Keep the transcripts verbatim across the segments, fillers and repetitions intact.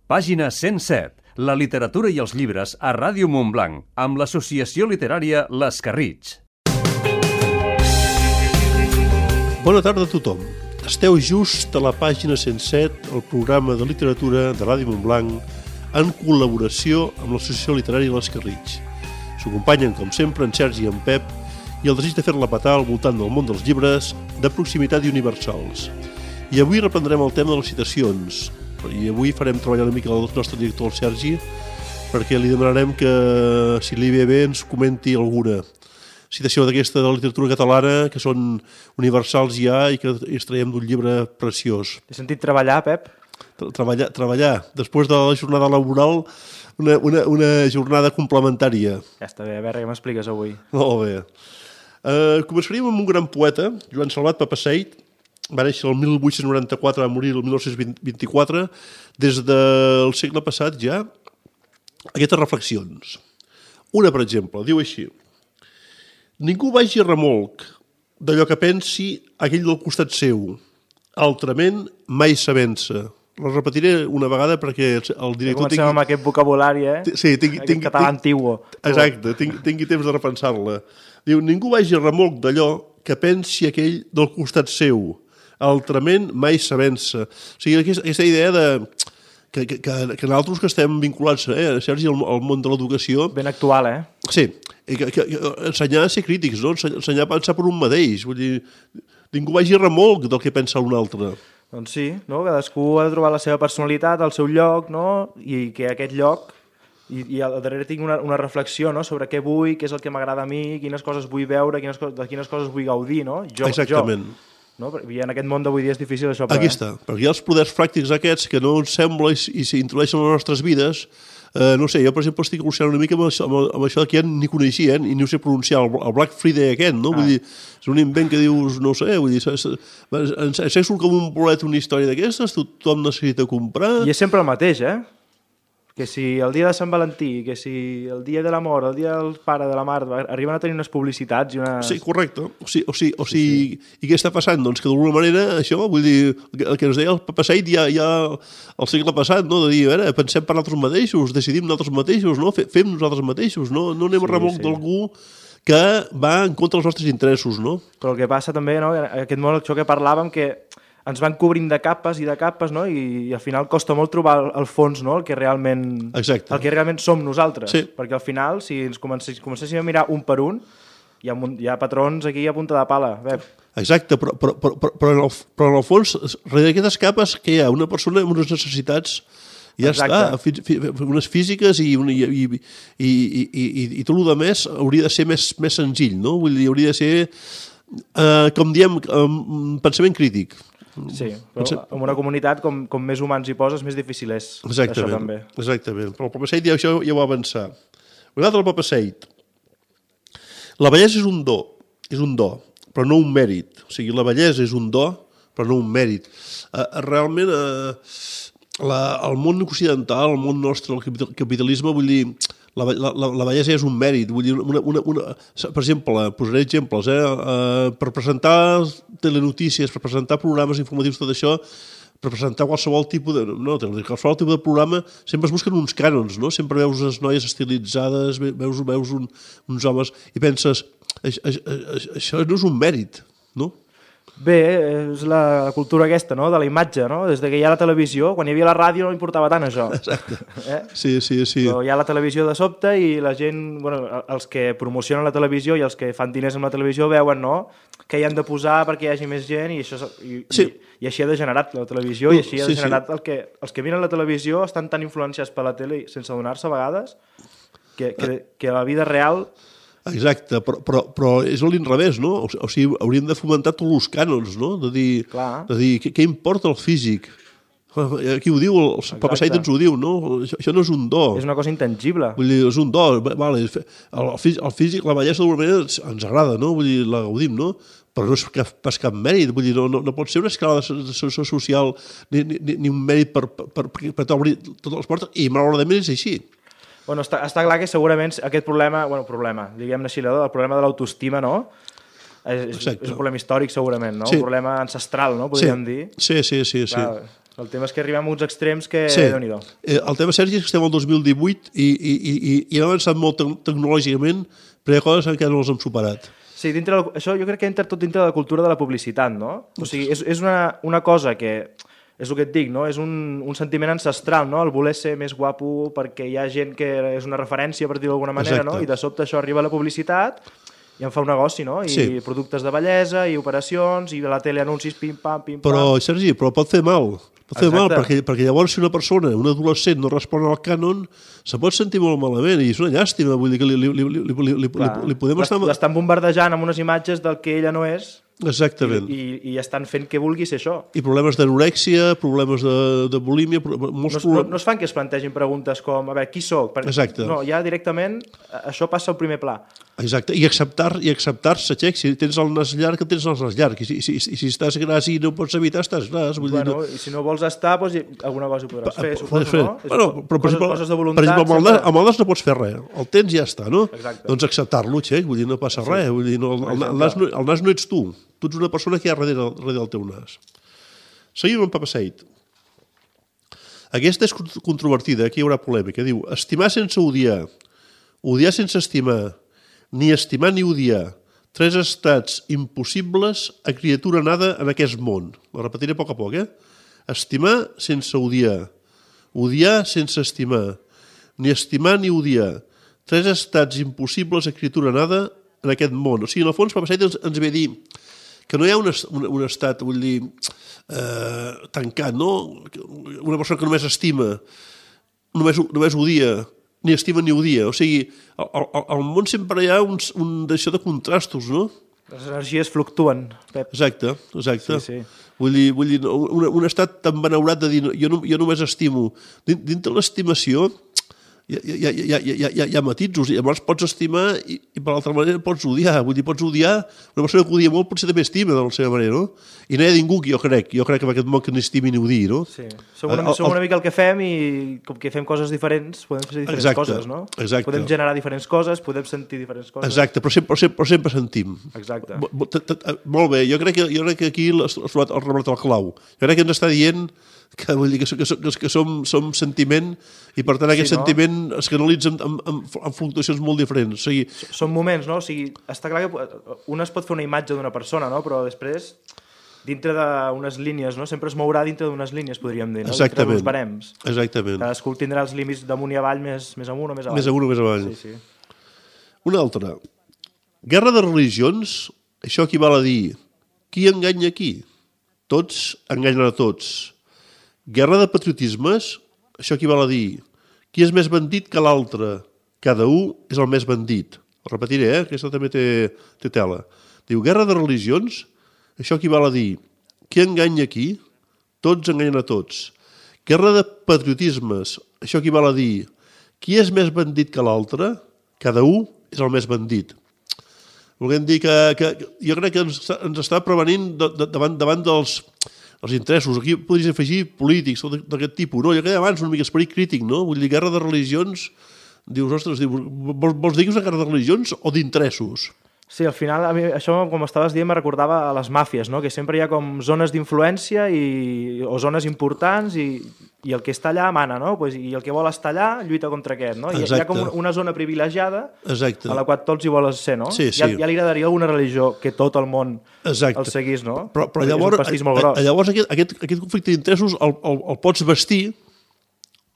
Pàgina cent set. La literatura i els llibres a Ràdio Montblanc, amb l'associació literària L'Escarritx. Bona tarda a tothom. Esteu just a la pàgina cent set, el programa de literatura de Ràdio Montblanc, en col·laboració amb l'associació literària L'Escarritx. S'ho acompanyen, com sempre, en Sergi i en Pep, i el desig de fer-la petar al voltant del món dels llibres de proximitat i universals. I avui reprendrem el tema de les citacions. I avui farem treballar una mica el nostre director, el Sergi, perquè li demanarem que, si li ve bé, ens comenti alguna citació d'aquesta de la literatura catalana, que són universals ja i que extraiem d'un llibre preciós. He sentit treballar, Pep? Treballar, treballar. Després de la jornada laboral, una, una, una jornada complementària. Ja està bé, a veure què m'expliques avui. Molt bé. Uh, començaríem amb un gran poeta, Joan Salvat Papasseit. Va néixer el mil vuit-cents noranta-quatre, va morir el mil nou-cents vint-i-quatre. Des del segle passat ja, aquestes reflexions. Una, per exemple, diu així: ningú vagi a remolc d'allò que pensi aquell del costat seu, altrament mai s'avença. La repetiré una vegada perquè el director... Comencem tingui... amb aquest vocabulari, eh? Sí, tingui, aquest tingui, català antiguo. Exacte, tingui, tingui temps de repensar-la. Diu, ningú vagi a remolc d'allò que pensi aquell del costat seu, altrament mai s'avença. O sigui, aquesta, aquesta idea de... Que, que, que nosaltres que estem vinculats, eh, Sergi, al, al món de l'educació... Ben actual, eh? Sí, que, que, que ensenyar a ser crítics, no? Ensenyar a pensar per un mateix. Vull dir, ningú vagi a remolc del que pensa un altre. Doncs sí, no? Cadascú ha de trobar la seva personalitat, el seu lloc, no? I que aquest lloc... I, i al darrere tinc una, una reflexió, no? Sobre què vull, què és el que m'agrada a mi, quines coses vull veure, quines, de quines coses vull gaudir, no? Jo, exactament. Jo. No? I en aquest món d'avui dia és difícil això. Però, aquí està, eh? Perquè hi ha els poders pràctics aquests que no ens sembla i, i s'introdueixen en les nostres vides. Eh, no sé, jo per exemple estic evolucionant una mica amb això, amb això que ja ni coneixia, eh? I ni ho sé pronunciar, el, el Black Friday aquest, no? Ah. Vull dir, és un invent que dius, no sé, vull dir, ens surt com un bolet una història d'aquestes, tothom necessita comprar... I és sempre el mateix, eh? Que si el dia de Sant Valentí, que si el dia de l'amor, el dia del pare, de la mare, arriben a tenir unes publicitats i unes... Sí, correcte. O sigui, o sigui, o sigui sí, sí. I què està passant? Doncs que d'alguna manera, això, vull dir, el que ens deia el Papasseit ja, ja el segle passat, no? De dir, a veure, pensem per nosaltres mateixos, decidim nosaltres mateixos, no? Fem nosaltres mateixos, no? No anem sí, a remolc sí. d'algú que va en contra dels nostres interessos, no? Però el que passa també, no? Aquest món, això que parlàvem, que ens van cobrint de capes i de capes, no? I, i al final costa molt trobar el, el fons, no? El que realment, exacte. El que realment som nosaltres. Sí. Perquè al final, si ens comencéssim, comencéssim a mirar un per un, hi ha, hi ha patrons aquí a punta de pala. Bé. Exacte, però, però, però, però, en el, però en el fons, darrere d'aquestes capes, que hi ha una persona amb unes necessitats, ja exacte. Està, unes físiques i, i, i, i, i, i, i tot el que més hauria de ser més, més senzill, no? Vull dir, hauria de ser, eh, com diem, um, pensament crític. Sí, però en una comunitat com, com més humans hi poses, més difícil és exactament, això també. Exactament, però el Papasseit ja, això ja ho va avançar. Un altre, el Papasseit. La bellesa és un do, és un do, però no un mèrit. O sigui, la bellesa és un do, però no un mèrit. Uh, realment, uh, la, el món occidental, el món nostre, el capitalisme, vull dir, la, la, la bellesa és un mèrit. Vull dir, una, una, una, per exemple, posaré exemples, eh? Uh, per presentar telenotícies, per presentar programes informatius, tot això, per presentar qualsevol tipus de, no, qualsevol tipus de programa, sempre es busquen uns cànons, no? Sempre veus unes noies estilitzades, veus, veus un, uns homes, i penses, això, això no és un mèrit, no? Bé, és la cultura aquesta, no?, de la imatge, no? Des que hi ha la televisió, quan hi havia la ràdio no importava tant això. Exacte. Eh? Sí, sí, sí. Però hi ha la televisió de sobte i la gent, bueno, els que promocionen la televisió i els que fan diners amb la televisió veuen, no?, que hi han de posar perquè hi hagi més gent i, això, i, sí. i, i així ha degenerat la televisió i així ha degenerat sí, sí. el que... Els que miren la televisió estan tan influenciats per la tele sense adonar-se a vegades que, que, que a la vida real... Exacte, però, però, però és a l'inrevés, no? O, o sigui, hauríem de fomentar tots els cànons, no? De dir, de dir què, què importa el físic? Aquí ho diu, el Papasseit ens ho diu, no? Això, això no és un do. És una cosa intangible. Vull dir, és un do. Vale, el, el físic, la bellesa d'alguna manera ens agrada, no? Vull dir, la gaudim, no? Però no és cap, pas cap mèrit, vull dir, no, no, no pot ser una escala de situació social ni, ni, ni un mèrit per, per, per, per, per obrir totes les portes, i malauradament és així. Bueno, està, està clar que segurament aquest problema, bueno, problema, diguem-ne així, el problema de l'autoestima, no? És, és, és un problema històric, segurament, no? Sí. Un problema ancestral, no? Podríem sí. dir. Sí, sí, sí. sí. Clar, El tema és que arribem a uns extrems que... Sí. Déu-n'hi-do. Eh, el tema, Sergi, és que estem al dos mil divuit i, i, i, i, i hem avançat molt te tecnològicament, però hi ha coses que encara no les hem superat. Sí, dintre del, això jo crec que entra tot dintre de la cultura de la publicitat, no? O sigui, és, és una, una cosa que, és el que et dic, no? És un, un sentiment ancestral, no? El voler ser més guapo perquè hi ha gent que és una referència, per dir-ho d'alguna manera, Exacte. no? I de sobte això arriba a la publicitat i en fa un negoci, no? I Sí. productes de bellesa, i operacions, i a la tele anuncis, pim-pam, pim-pam... Però, Sergi, però pot fer mal. Pot fer Exacte. mal, perquè, perquè llavors si una persona, un adolescent, no respon al cànon, se pot sentir molt malament, i és una llàstima, vull dir que li, li, li, li, li, li, li, li podem estar... L'estan bombardejant amb unes imatges del que ella no és, Exactament. i, i estan fent que vulgui ser això. I problemes d'anorèxia, problemes de, de bulímia, pro- molts No, no, problemes... no es fan que es plantegin preguntes com, a veure, qui sóc? Perquè, Exacte. No, ja directament això passa al primer pla. Exacte, i acceptar i acceptar-se, xec, si tens el nas llarg, tens el nas llarg, i si, si, si, si estàs gras i no pots evitar, estàs gras. Vull Bueno, dir, i si no vols estar, doncs, alguna cosa hi podràs fer, no, suposo, fer. no? Bueno, però, per coses, exemple, coses de per voluntat... exemple, amb el, nas, sempre- amb el nas no pots fer res, el tens i ja està, no? Exacte. Doncs acceptar-lo, xec, vull dir, no passa sí. res, vull dir, no, el, el, el, nas no, el nas no ets tu, tu ets una persona que hi ha darrere, darrere del teu nas. Seguim amb Papa Seid. Aquesta és controvertida, aquí hi haurà polèmica. Diu, estimar sense odiar, odiar sense estimar, ni estimar ni odiar, tres estats impossibles a criatura nada en aquest món. Ho repetiré a poc a poc, eh? Estimar sense odiar, odiar sense estimar, ni estimar ni odiar, tres estats impossibles a criatura nada en aquest món. O sigui, en el fons, Papa Seid ens, ens ve a dir que no hi ha un, un, un estat, vull dir, eh, tancat, no? Una persona que només estima, només, només odia, ni estima ni odia. O sigui, al, al, al món sempre hi ha uns, un d'això de contrastos, no? Les energies fluctuen, Pep. Exacte, exacte. Sí, sí. Vull dir, vull dir un, un estat tan benaurat de dir jo, no, jo només estimo. Dins, dins de l'estimació hi ha, hi, ha, hi, ha, hi, ha, hi ha matisos, i llavors pots estimar i, i per l'altra manera pots odiar. Vull dir, pots odiar, una persona que odia molt potser també estima de la seva manera, no? I no hi ha ningú que jo crec, jo crec que en aquest món que ni estimi ni odiï, no? Sí. Som una, som una mica el que fem i com que fem coses diferents, podem fer diferents Exacte, coses, no? exacte. Podem generar diferents coses, podem sentir diferents coses. Exacte, però sempre, però sempre, però sempre sentim. Exacte. Mo- mo- t- t- Molt bé, jo crec que, jo crec que aquí has trobat el reblat al clau. Jo crec que ens està dient que, vull dir, que, que, que, que som, som sentiment i per tant aquest Sí, no? sentiment es canalitza en, en, en, en fluctuacions molt diferents. O sigui, Són moments, no? O sigui, està clar que un es pot fer una imatge d'una persona, no? Però després, dintre d'unes línies, no? Sempre es mourà dintre d'unes línies, podríem dir, no? Exactament. Dintre d'uns barems. exactament. Cadascú tindrà els límits d'amunt i avall, més, més amunt o més avall. Més amunt o més avall. Sí, sí. Una altra. Guerra de religions, això equival a dir qui enganya qui? Tots enganyen a tots. Guerra de patriotismes, això equival a dir qui és més bandit que l'altre? Cada un és el més bandit. Ho repetiré, eh? Aquesta també té, té tela. Diu, guerra de religions, això equival a dir qui enganya qui? Tots enganyen a tots. Guerra de patriotismes, això equival a dir qui és més bandit que l'altre? Cada un és el més bandit. Volem dir que, que jo crec que ens, ens està prevenint de, de, davant, davant dels, els interessos. Aquí podries afegir polítics o d'aquest tipus. No? Jo crec abans una mica esperit crític, no? Vull dir, guerra de religions, dius, ostres, dius, vols, vols dir que és una guerra de religions o d'interessos? Sí, al final, a mi, això, com estaves dient, me recordava a les màfies, no? Que sempre hi ha com zones d'influència i, o zones importants i, i el que està allà mana, no? Pues, i el que vol estar allà lluita contra aquest, no? I hi ha com una zona privilegiada Exacte. a la qual tots hi vols ser, no? Sí, sí. Ja, ja li agradaria alguna religió que tot el món Exacte. el seguís, no? Però, però És llavors, un pastís molt gros. llavors aquest, aquest, aquest conflicte d'interessos el, el, el pots vestir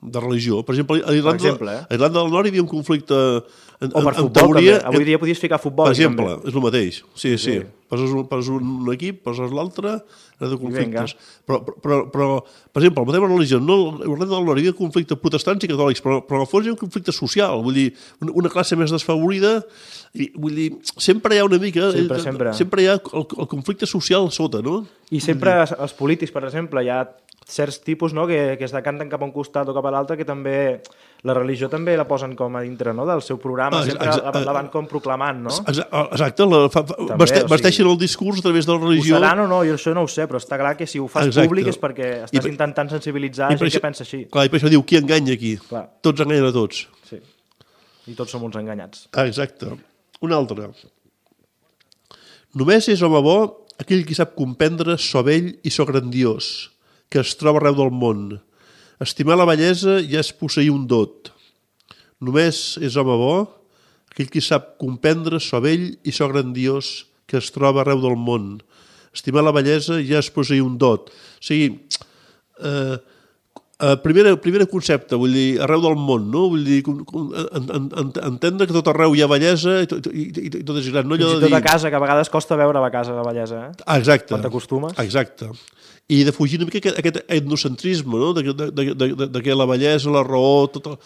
de religió. Per exemple, a Irlanda, Per exemple, eh? a Irlanda del Nord hi havia un conflicte en, O per en, futbol, teoria, també. Avui dia podies ficar futbol. per exemple, també. és el mateix. Sí, sí. Sí. Poses un, poses un equip, poses l'altre, era de conflictes. vinga. Però, però, però, per exemple, el tema de religió, no, a Irlanda del Nord hi havia conflictes protestants i catòlics, però, però en el fons hi ha un conflicte social, vull dir, una, una classe més desfavorida, i, vull dir, sempre hi ha una mica... Sempre, sempre. Sempre hi ha el, el conflicte social sota, no? I sempre els polítics, per exemple, hi ha certs tipus, no, que, que es decanten cap a un costat o cap a l'altre, que també la religió també la posen com a dintre, no, del seu programa, Ah, sempre exa- la, la van com proclamant, no? Exa- Exacte, la, fa, fa, També, veste, o sigui, vesteixen el discurs a través de la Ho religió. seran o no, jo això no ho sé, però està clar que si ho fas Exacte. públic és perquè estàs I per- intentant sensibilitzar I gent per que això- pensa així. Clar, i per això diu, qui enganya aquí? Clar. Tots enganyen a tots. Sí. I tots som uns enganyats. Ah, exacte. Un altre. Només és home bo aquell qui sap comprendre so vell i so grandiós, que es troba arreu del món. Estimar la bellesa ja és posseir un dot. Només és home bo aquell qui sap comprendre so vell i so grandiós que es troba arreu del món. Estimar la bellesa ja és posseir un dot. O sigui, eh, eh, primer, primer concepte, vull dir, arreu del món, no? Vull dir, com, com, en, en, en, entendre que tot arreu hi ha bellesa i tot, i, i, i tot és gran. No? Fins i tot a casa, que a vegades costa veure a casa la bellesa, eh? Ah, exacte. Quan t'acostumes. Exacte. I de fugir una mica aquest, aquest etnocentrisme, no? de, de, de, de, de que la bellesa, la raó, tot el...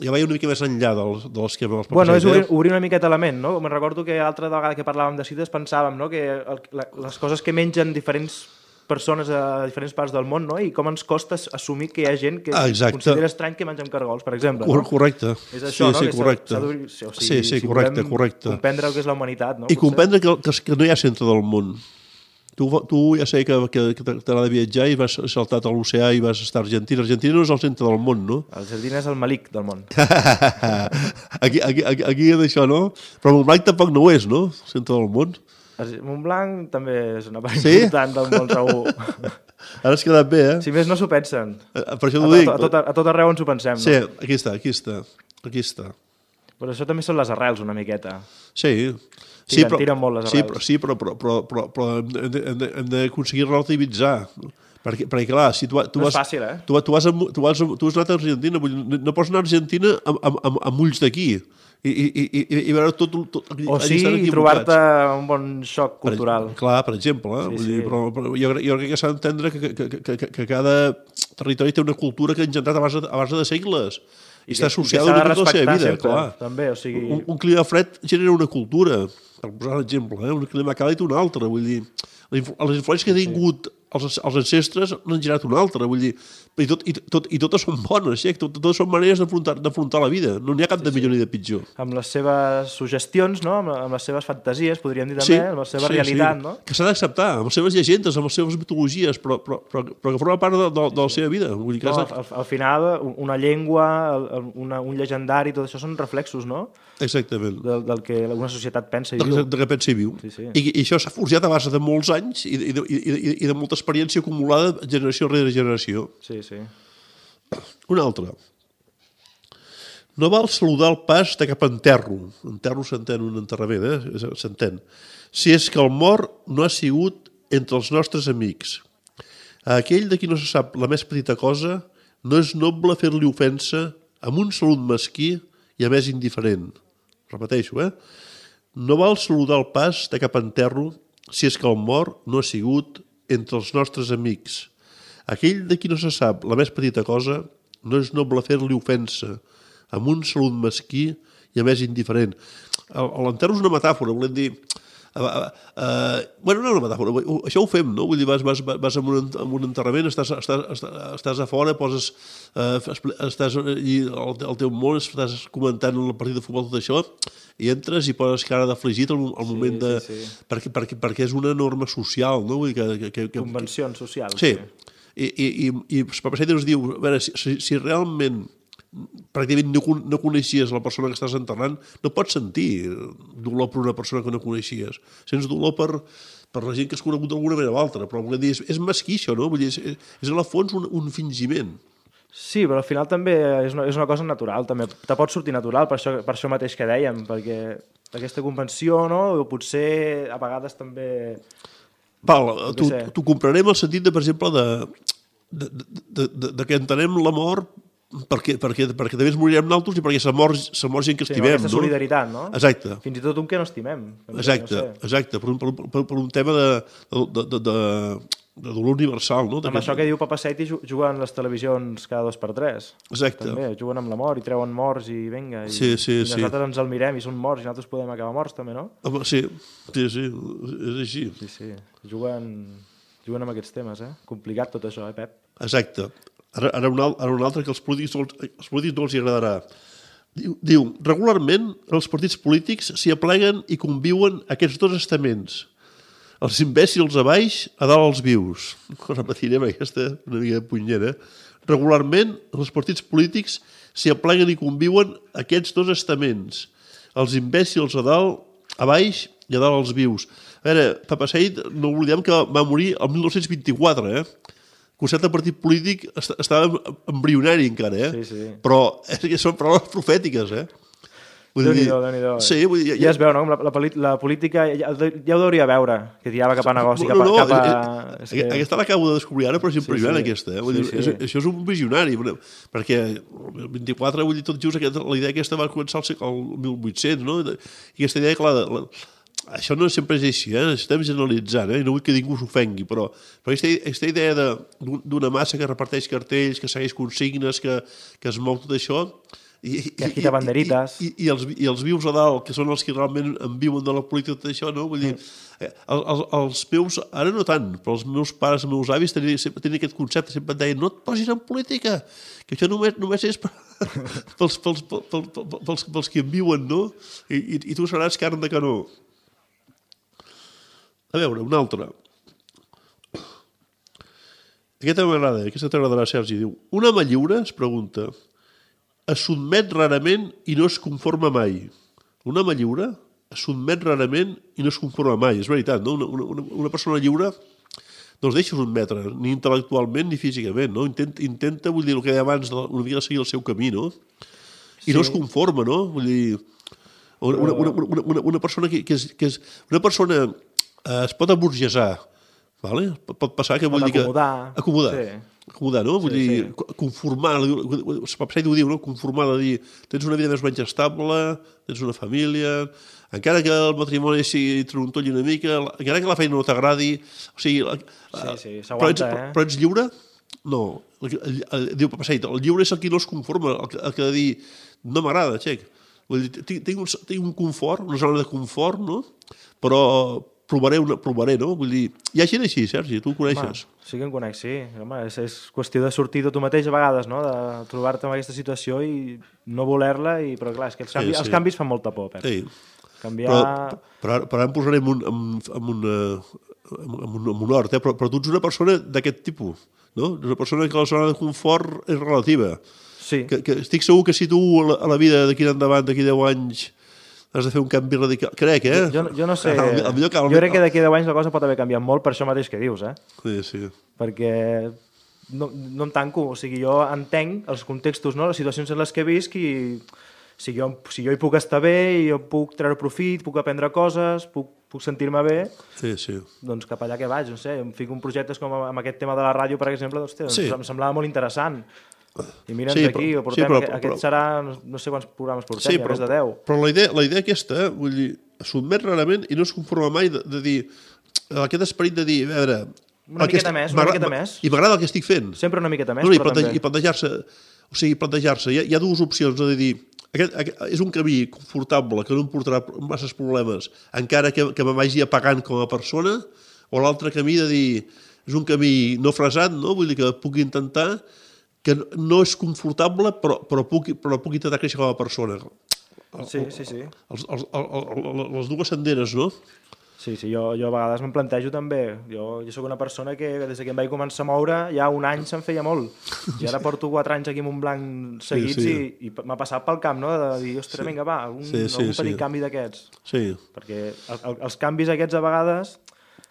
ja vaig una mica més enllà del, de l'esquema dels papers. Bueno, és obrir, obrir una miqueta la ment, no? Me'n recordo que altra vegada que parlàvem de cites pensàvem, no?, que el, la, les coses que mengen diferents persones a diferents parts del món, no? I com ens costa assumir que hi ha gent que ah, considera estrany que mengem cargols, per exemple. No? Correcte. És això, sí, no? Sí, correcte. O sigui, sí, sí, si correcte, correcte. comprendre el que és la humanitat, no? I potser? Comprendre que, que, que no hi ha centre del món. Tu, tu ja sé que, que, que t'agrada viatjar i vas saltar a l'oceà i vas estar a Argentina. Argentina no és el centre del món, no? Argentina és el malic del món. aquí, aquí, aquí, aquí és això, no? Però Montblanc tampoc no ho és, no? El centre del món. Montblanc també és una part sí? important del món, segur. Ara has quedat bé, eh? Si més no s'ho pensen. Per això t'ho a, dic. A, a, tot, a tot arreu ens ho pensem, sí, no? Sí, aquí està, aquí està. Aquí està. Però això també són les arrels, una miqueta. Sí. Sí, però, tiren molt les arrels. Sí, però, sí, però, però, però, però, però hem d'aconseguir relativitzar. Perquè, perquè clar, si tu, tu no vas... és fàcil, eh? Tu, tu, vas, a, tu, vas, tu has anat a Argentina, no pots anar a Argentina amb, amb, amb ulls d'aquí. I, i, i, i veure tot... tot o sí, i trobar-te un bon xoc cultural. Per, clar, per exemple. Eh? Sí, sí. Dir, però, però jo, jo crec que s'ha d'entendre que, que, que, que, que cada territori té una cultura que ha engendrat a base, a base de segles. I, I està associada a tota la seva vida, sempre, clar. També, o sigui... un, un clima fred genera una cultura, per posar un exemple, eh? Un clima càlid una altra, vull dir, les influències que ha tingut els, els ancestres n'han generat una altra, vull dir, i, tot, i, tot, i totes són bones, eh? tot, totes són maneres d'afrontar la vida, no n'hi ha cap sí, de millor sí. ni de pitjor. Amb les seves suggestions, no? amb, amb les seves fantasies, podríem dir també, sí, amb la seva sí, realitat, sí. no? Que s'ha d'acceptar, amb les seves llegendes, amb les seves mitologies, però, però, però, però que forma part de, de, de la seva vida. Vull dir que no, al, al final, una llengua, una, un llegendari, tot això són reflexos, no? Exactament. Del, del que una societat pensa i del, viu. Del que pensa i viu. Sí, sí. I, I això s'ha forjat a base de molts anys i, i, de, i, de, i de molta experiència acumulada generació rere generació. Sí, sí. Una altra. No val saludar el pas de cap enterro. Enterro s'entén un enterrament, eh? S'entén. Si és que el mort no ha sigut entre els nostres amics. A aquell de qui no se sap la més petita cosa, no és noble fer-li ofensa amb un salut mesquí i a més indiferent. Repeteixo, eh? No val saludar el pas de cap enterro si és que el mort no ha sigut entre els nostres amics. Aquell de qui no se sap la més petita cosa no és noble fer-li ofensa amb un salut mesquí i a més indiferent. L'enterro és una metàfora, volem dir... Uh, uh, bueno, no és una metàfora, això ho fem, no? Vull dir, vas, vas, vas amb, un, amb un enterrament, estàs, estàs, estàs a fora, poses, uh, estàs i el, el teu món, estàs comentant el partit de futbol, tot això, i entres i poses cara d'afligit al, al moment de... Sí, sí. Perquè, perquè, perquè és una norma social, no? Vull dir que, que, que, Convencions socials. Sí, sí. I, i, i, i per passar ens diu, a veure, si, si realment pràcticament no, no coneixies la persona que estàs enterrant, no pots sentir dolor per una persona que no coneixies. Sents dolor per, per la gent que has conegut d'alguna manera o altra, però vull dir, és, és mesquí això, no? Vull dir, és, és a la fons un, un fingiment. Sí, però al final també és una, és una cosa natural, també. Te pot sortir natural, per això, per això mateix que dèiem, perquè aquesta convenció, no? O potser a vegades també... Val, t'ho comprarem el sentit, de, per exemple, de, de, de, de, de que entenem la mort perquè, perquè, perquè també ens morirem nosaltres i perquè s'ha mort, s'ha mort gent que estimem. Sí, aquesta solidaritat, no? Exacte. Fins i tot un que no estimem. Exacte, no sé. Exacte, per un, per, per, per un tema de, de, de, de, de dolor universal, no? Amb això que diu Papa Seiti juguen les televisions cada dos per tres. Exacte. També, juguen amb la mort i treuen morts i vinga. I, sí, sí, i nosaltres sí. ens el mirem i són morts i nosaltres podem acabar morts també, no? Sí, sí, sí, és així. Sí, sí, juguen, juguen amb aquests temes, eh? Complicat tot això, eh, Pep? Exacte. Ara, ara, un, ara un altre que els polítics, els polítics no els hi agradarà. Diu, diu, regularment els partits polítics s'hi apleguen i conviuen aquests dos estaments. Els imbècils a baix, a dalt els vius. Ho repetirem, aquesta una mica punyera. Regularment els partits polítics s'hi apleguen i conviuen aquests dos estaments. Els imbècils a dalt, a baix i a dalt els vius. A veure, Papa Seid, no oblidem que va morir el mil nou-cents vint-i-quatre, eh? concepte de partit polític estava embrionari encara, eh? Sí, sí. Però és que són paraules profètiques, eh? Déu-n'hi-do, Déu-n'hi-do. Sí, vull dir... Ja es veu, no? La, la, la política ja, ja ho hauria veure, que tirava cap a negoci, cap a... No, no, cap a... és que... Aquesta l'acabo de descobrir ara, però és impressionant, sí, sí. aquesta. Eh? Vull sí, dir, sí. És, això és un visionari, perquè el vint-i-quatre, vull dir, tot just, aquesta, la idea aquesta va començar al mil vuit-cents, no? I aquesta idea, clar, la, això no sempre és així, eh? Estem generalitzant, eh? I no vull que ningú s'ofengui, però, però aquesta, aquesta idea d'una massa que reparteix cartells, que segueix consignes, que, que es mou tot això... I, que agita banderites. I, i, i, els, I els vius a dalt, que són els que realment en viuen de la política, tot això, no? Vull dir, eh, els, els meus, ara no tant, però els meus pares, els meus avis tenien, sempre tenien aquest concepte, sempre et deien, no et posis en política, que això només, només és per, pels, pels, pels, pels, pels, pels que en viuen, no? I, i, i tu seràs carn de canó. A veure, una altra. Aquesta m'agrada, aquesta t'agradarà, Sergi. Diu, un home lliure, es pregunta, es sotmet rarament i no es conforma mai. Un home lliure es sotmet rarament i no es conforma mai. És veritat, no? Una, una, una persona lliure no es deixa sotmetre, ni intel·lectualment ni físicament, no? Intenta, intenta vull dir, el que deia abans, una mica de seguir el seu camí, no? I sí. No es conforma, no? Vull dir, una, una, una, una, una persona que, que, és, que és... Una persona eh, es pot aburgesar, vale? Pot passar que vull dir que... Acomodar. Acomodar. Sí. Acomodar, no? Vull sí, dir, sí. Conformar, Papseit ho diu, no? Conformar de dir, tens una vida més o menys estable, tens una família, encara que el matrimoni sigui trontolli una mica, encara que la feina no t'agradi, o sigui... Sí, sí, però, s'aguanta, ets, eh? però ets lliure? No. El, el, el, diu Papseit, el lliure és el qui no es conforma, el, el que ha de dir, no m'agrada, xec. Vull dir, tinc, tinc, un, tinc un confort, una zona de confort, no? Però... Provaré, una, provaré, no? Vull dir, hi ha gent així, Sergi, tu ho coneixes. Home, sí que en conec, sí. Home, és, és qüestió de sortir de tu mateix a vegades, no? De trobar-te en aquesta situació i no voler-la, i... però clar, és que els canvis, sí, sí. els canvis fan molta por, Pep. Sí. Canviar... Però, però, però ara em posaré en un, en, en un, en un, en un hort, eh? però, però tu ets una persona d'aquest tipus, no? Una persona que la zona de confort és relativa. Sí. Que, que estic segur que si tu a la, a la vida d'aquí endavant, d'aquí deu anys... has de fer un canvi radical. Crec, eh? Jo, jo no sé. El, el millor que el... Jo crec que d'aquí a deu anys la cosa pot haver canviat molt per això mateix que dius, eh? Sí, sí. Perquè no, no em tanco. O sigui, jo entenc els contextos, no? Les situacions en les que visc i si jo, si jo hi puc estar bé, jo puc treure profit, puc aprendre coses, puc, puc sentir-me bé, sí, sí. Doncs cap allà que vaig, no sé, em fico en projectes com amb aquest tema de la ràdio, per exemple, doncs, doncs sí. em semblava molt interessant. I mira'ns sí, aquí, però, portem, sí, però, aquest, aquest però, serà, no, no sé quants programes portem, sí, ja però, més de deu. Però la idea, la idea aquesta, vull dir, sotmet rarament i no es conforma mai de, de dir, aquest esperit de dir, a veure... Una miqueta més, una miqueta més. I m'agrada el que estic fent. Sempre una miqueta més, no, però i també. I plantejar-se, o sigui, plantejar-se, hi, ha, hi ha dues opcions, de dir, aquest, aquest, és un camí confortable, que no em portarà masses problemes, encara que, que me vagi apagant com a persona, o l'altre camí de dir, és un camí no fresat, no? Vull dir que puc intentar, que no és confortable, però, però, puc, però puc intentar créixer com a persona. Sí, sí, sí. Els, els, els, les dues senderes, no? Sí, sí, jo, jo a vegades me'n plantejo també. Jo, jo sóc una persona que des que em vaig començar a moure ja un any se'n feia molt. I ara porto quatre anys aquí amb un blanc seguits sí, sí. i, i m'ha passat pel camp, no? De dir, ostres, sí. vinga, va, un, sí, sí, algun petit sí. canvi d'aquests. Sí. Perquè el, el, els canvis aquests a vegades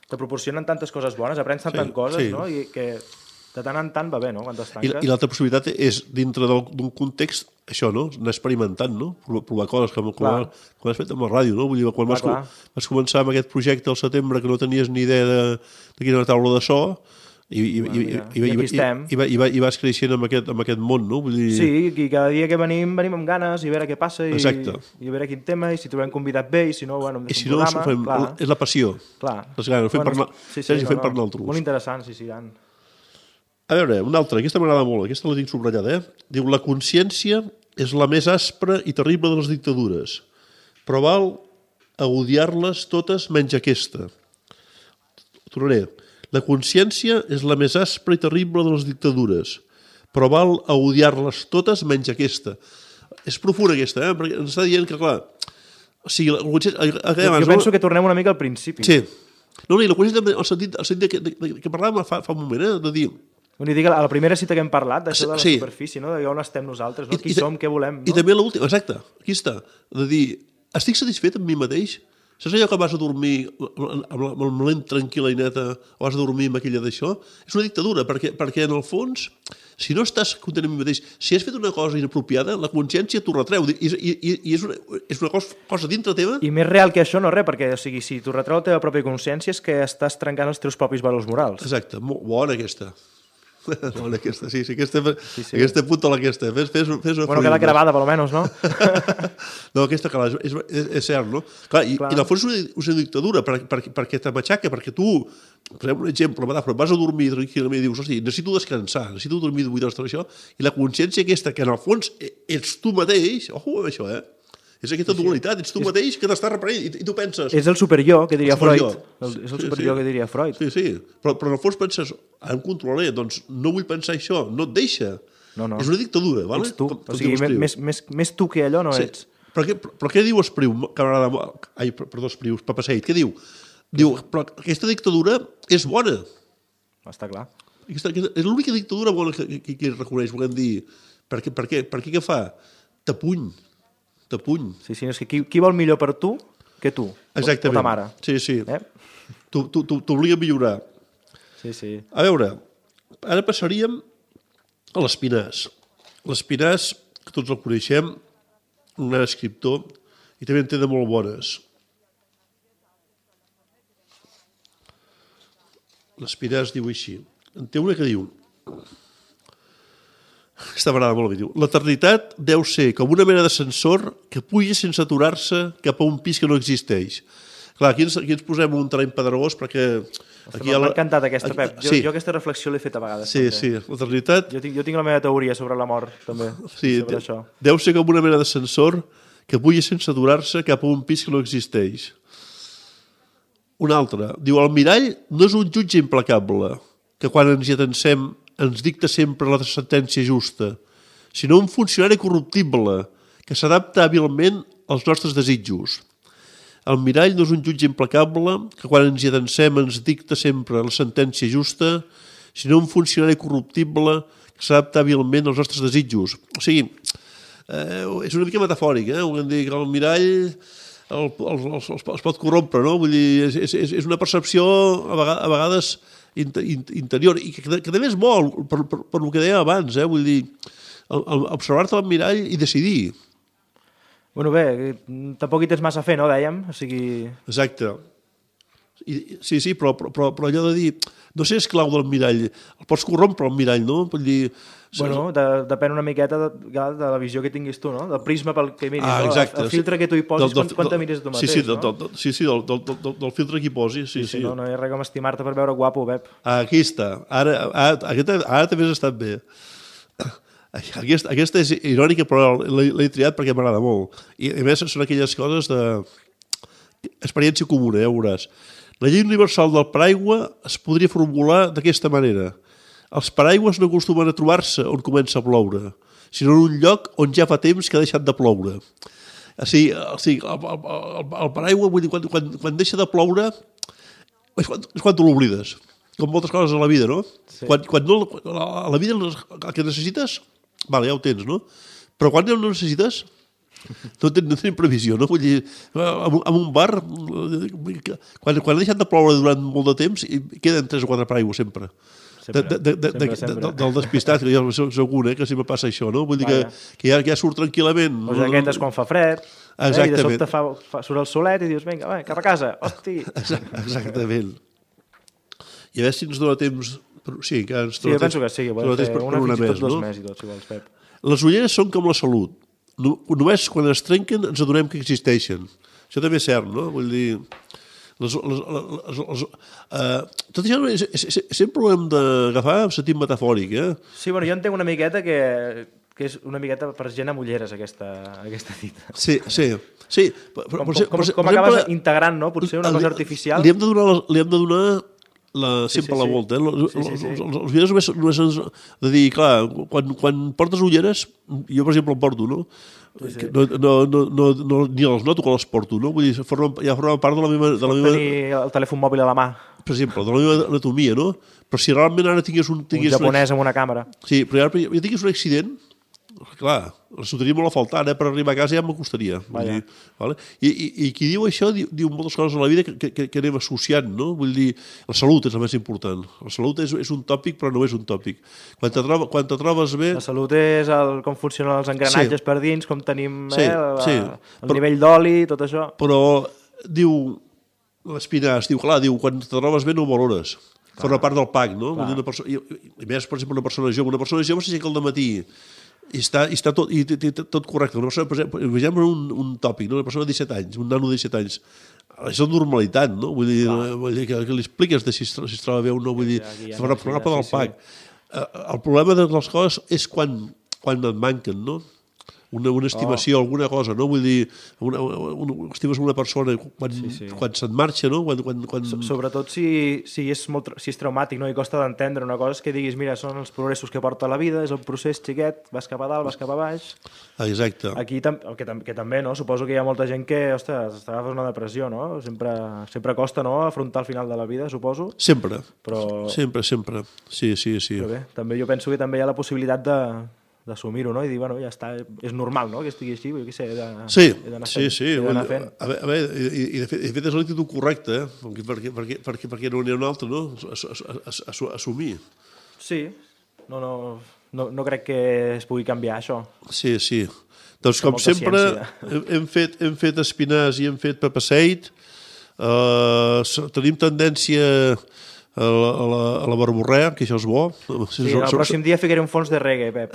te proporcionen tantes coses bones, aprens tantes sí, coses, sí. no? I que de tant en tant va bé, no?, quan t'estanques. I, i l'altra possibilitat és, dintre d'un context, això, no?, anar experimentant, no?, provar, provar coses, com, com, com has fet amb la ràdio, no?, vull dir, quan clar, vas, clar. vas començar amb aquest projecte al setembre que no tenies ni idea de, de quina era la taula de so, i, i, i, i, i, i, i, i, i, i vas creixent amb aquest, amb aquest món, no?, vull dir... Sí, i cada dia que venim, venim amb ganes, i a veure què passa, i, exacte. I a veure quin tema, i si trobem convidat bé, i si no, bueno, em deixo un programa, fem, clar. És la passió, clar. les ganes, ho fem bueno, per, sí, sí, no, no, per nosaltres. Molt interessant, sí, sí, Dan. A veure, una altra, aquesta m'agrada molt, aquesta la tinc subratllada, eh? Diu, la consciència és la més aspra i terrible de les dictadures, però val a odiar-les totes menys aquesta. Tornaré. La consciència és la més aspra i terrible de les dictadures, però val a odiar-les totes menys aquesta. És profunda aquesta, eh? Perquè ens està dient que, clar, o sigui, la consciència... Jo, jo penso que tornem una mica al principi. Sí. No, no, i la consciència, el sentit, el sentit que, de, de, que parlàvem fa, fa un moment, eh? De dir... Vull dir que a la primera cita que hem parlat, d'això de la sí. superfície, no? De on estem nosaltres, no? I, qui i, som, què volem, no? I també l'última, exacte, aquí està, de dir, estic satisfet amb mi mateix? Saps allò que vas a dormir amb la, amb la ment tranquil·la i neta, o vas a dormir amb aquella d'això? És una dictadura, perquè, perquè en el fons, si no estàs content amb mi mateix, si has fet una cosa inapropiada, la consciència t'ho retreu, i, i, i és una, és una cosa, cosa dintre teva. I més real que això no res, perquè o sigui, si t'ho retreu la teva pròpia consciència és que estàs trencant els teus propis valors morals. Exacte, molt bona aquesta. Bona aquesta, sí, sí, aquesta, sí, sí. aquesta puta aquesta. Fes, fes, fes bueno, queda gravada, per almenys, no? No, aquesta, clar, és, és, és cert, no? Clar, i, clar. I en el fons és una, és una dictadura, per, per, perquè te matxaca, perquè tu, per exemple, un exemple, vas a dormir tranquil·lament i dius, hosti, necessito descansar, necessito dormir vuit hores, això, i la consciència aquesta, que en el fons ets tu mateix, ojo amb això, eh? És aquesta dualitat, ets tu mateix que t'estàs reprenent i, i tu penses... És el superjo, que diria Freud. El, és el superjo sí, sí. que diria Freud. Sí, sí, però, però en el fons penses, em controlaré, doncs no vull pensar això, no et deixa. No, no. És una dictadura, vale? Ets tu, com, o sigui, més, més, més tu que allò no sí. ets. Però què, però què diu Espriu, que m'agrada... Ai, perdó, Espriu, Papaseit, què diu? Diu, però aquesta dictadura és bona. Està clar. Aquesta, aquesta, és l'única dictadura bona que, que, que reconeix, volem dir. Per què, per què, per què, què fa? T'apuny. T'apuny. Sí, sí, és que qui, qui vol millor per tu que tu? Exactament. O ta mare. Sí, sí. Eh? T'obliga a millorar. Sí, sí. A veure, ara passaríem a l'Espinàs. L'Espinàs, que tots el coneixem, un gran escriptor, i també en té de molt bones. L'Espinàs diu així. En té una que diu... Aquesta m'agrada molt, diu. L'eternitat deu ser com una mena d'ascensor que puja sense aturar-se cap a un pis que no existeix. Clar, aquí ens, aquí ens posem un terreny pedregós perquè... Aquí M'ha la... encantat aquesta, Pep. Jo, sí. jo aquesta reflexió l'he fet a vegades. Sí, també. sí, l'eternitat... Jo tinc, jo tinc la meva teoria sobre la mort, també, sí, sobre això. Deu ser com una mena d'ascensor que puja sense aturar-se cap a un pis que no existeix. Un altre. Diu, el mirall no és un jutge implacable, que quan ens hi atensem ens dicta sempre la sentència justa, sinó un funcionari corruptible que s'adapta hàbilment als nostres desitjos. El mirall no és un jutge implacable que quan ens hi atensem ens dicta sempre la sentència justa, sinó un funcionari corruptible que s'adapta hàbilment als nostres desitjos. O sigui, eh, és una mica metafòric, eh? Volem dir que el mirall el, el, el, el, es pot corrompre, no? Vull dir, és, és, és una percepció a vegades, a vegades interior, i que, que també és molt, per, per, per el que deia abans, eh? Vull dir, el, el, observar-te al mirall i decidir. Bueno, bé, tampoc hi tens massa a fer, no, dèiem? O sigui... Exacte. I, sí, sí, però, però, però allò de dir, no sé, esclau del mirall, el pots corrompre el mirall, no? Vull dir... Bueno, de, depèn una miqueta de, de la visió que tinguis tu, no? Del prisma pel que miris, ah, no? El, el filtre que tu hi posis, del, del, quan, quan te mires tu mateix, sí, sí, no? Del, del, sí, sí, del, del, del, del filtre que hi posis, sí, sí. sí. No, no hi ha res com estimar-te per veure guapo, Pep. Ah, aquí està. Ara, ara, ara, ara també has estat bé. Aquesta, aquesta és irònica, però l'he triat perquè m'agrada molt. I a més són aquelles coses de... experiència comuna, ja ho veuràs. La llei universal del paraigua es podria formular d'aquesta manera. Els paraigües no acostumen a trobar-se on comença a ploure, sinó en un lloc on ja fa temps que ha deixat de ploure. O sigui, o sigui el, el, el paraigua, vull dir, quan, quan, quan deixa de ploure, és quan, és quan tu l'oblides. Com moltes coses a la vida, no? Sí. Quan, quan no, a la vida el que necessites, vale, ja ho tens, no? Però quan no necessites, no, ten, no tenim previsió, no? Vull dir, en, en un bar, quan, quan ha deixat de ploure durant molt de temps, queden tres o quatre paraigües sempre. Sempre, de, de, de, sempre, de, sempre. De, del despistat, que jo soc un, eh, que sempre passa això, no? Vull dir que, que ja, ja surt tranquil·lament. O jaquetes quan fa fred, eh, i de sobte fa, fa, surt el solet i dius, vinga, va, cap a casa, hosti. Exactament. I a veure si ens dona temps... Sí, que ens sí, jo penso que sí, que podem fer una fins i tot dos no? més i tot, si vols, Pep. Les ulleres són com la salut. No, només quan es trenquen ens adonem que existeixen. Això també és cert, no? Vull dir... Les, les, les, les, uh, tot això és, és, és, sempre ho hem d'agafar en sentit metafòric, eh? Sí, bueno, jo entenc una miqueta que, que és una miqueta per gent amb ulleres, aquesta, aquesta dita. Sí, sí. sí. Com, com, com, com acabes exemple, integrant, no? Potser una cosa artificial. Li hem de donar, li hem de donar la, sí, sempre sí, la sí. volta. Eh? Els, sí, sí, sí. els, els, els ulleres només, només ens... De dir, clar, quan, quan portes ulleres, jo per exemple el porto, no? Sí, sí. No, no, no, no, no, ni els noto quan els porto, no? Vull dir, forma, ja forma part de la meva... De la meva... tenir el telèfon mòbil a la mà. Per exemple, de la meva anatomia, no? Però si realment ara tingués un... Tingués un japonès un... amb una càmera. Sí, però ara jo tingués un accident, clar, els ho tenia molt a faltar, eh? Per arribar a casa ja m'acostaria. Vale? I, i, I qui diu això diu, diu moltes coses a la vida que, que, que anem associant, no? Vull dir, la salut és el més important. La salut és, és un tòpic, però no és un tòpic. Quan te, troba, quan te trobes bé... La salut és el, com funcionen els engranatges sí. per dins, com tenim sí, eh, la, sí. el però, nivell d'oli, tot això. Però, diu, l'Espinàs, diu, clar, diu, quan te trobes bé no ho valores. Forma part del pack, no? Una persona, i, I més, per exemple, una persona jove. Una persona jove s'aixeca al dematí i està, i està tot, i, i, tot correcte. Una persona, per exemple, imaginem un, un tòpic, no? Una persona de disset anys, un nano de disset anys. És la normalitat, no? Vull dir, vull dir que, que li expliques de si, es, si es troba bé o no, vull dir, sí, ja forma part del pack. Sí. El problema de les coses és quan, quan et manquen, no? Una, una estimació, oh. alguna cosa, no? Vull dir, una, una, estimes una persona quan, sí, sí. quan se't marxa, no? Quan, quan, quan... Sobretot si, si, és molt, si és traumàtic, no? I costa d'entendre una cosa, és que diguis, mira, són els progressos que porta la vida, és el procés xiquet, vas cap a dalt, vas cap a baix... Exacte. Aquí tam que, tam que també, no? Suposo que hi ha molta gent que, ostres, t'agafes una depressió, no? Sempre, sempre costa, no?, afrontar el final de la vida, suposo. Sempre, però... sempre, sempre. Sí, sí, sí. Però bé, també jo penso que també hi ha la possibilitat de... d'assumir-ho, no? I dir, bueno, ja està, és normal, no?, que estigui així, jo què sé, he d'anar sí, fent. Sí, sí, a veure, a veure, i, i de fet, de fet és l'actitud correcta, eh? perquè, perquè, perquè, perquè no n'hi ha un altre, no?, assumir. Sí, no, no, no, no crec que es pugui canviar, això. Sí, sí. Doncs, com sempre, hem fet, hem fet Espinàs i hem fet Papaseit, uh, tenim tendència... A la, a, la, a la barborrea, que això és bo. Sí, el pròxim dia ficaré un fons de reggae, Pep.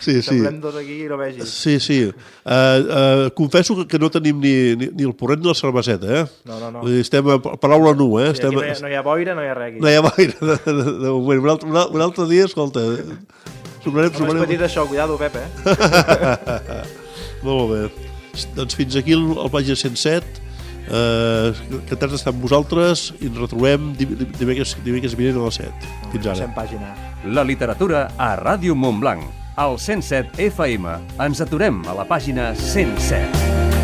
Sí, sí. Semblem dos aquí i no vegis. Sí, sí. Uh, uh, confesso que no tenim ni, ni, ni el porret ni la cerveseta, eh? No, no, no. Estem a paraula nua, eh? Sí, Estem... no, hi ha, no hi ha boira, no hi ha reggae. No hi ha boira, de, de, de moment. Un altre, un altre dia, escolta... Sobrarem, sobrarem... És petit això, cuidado, Pep, eh? Molt bé. Doncs fins aquí el, el pàgina cent set. Uh, encantats d'estar amb vosaltres i ens retrobem dimecres, dimecres vinent a les set. Fins ara. Pàgina. La literatura a Ràdio Montblanc, al cent set F M. Ens aturem a la pàgina cent set.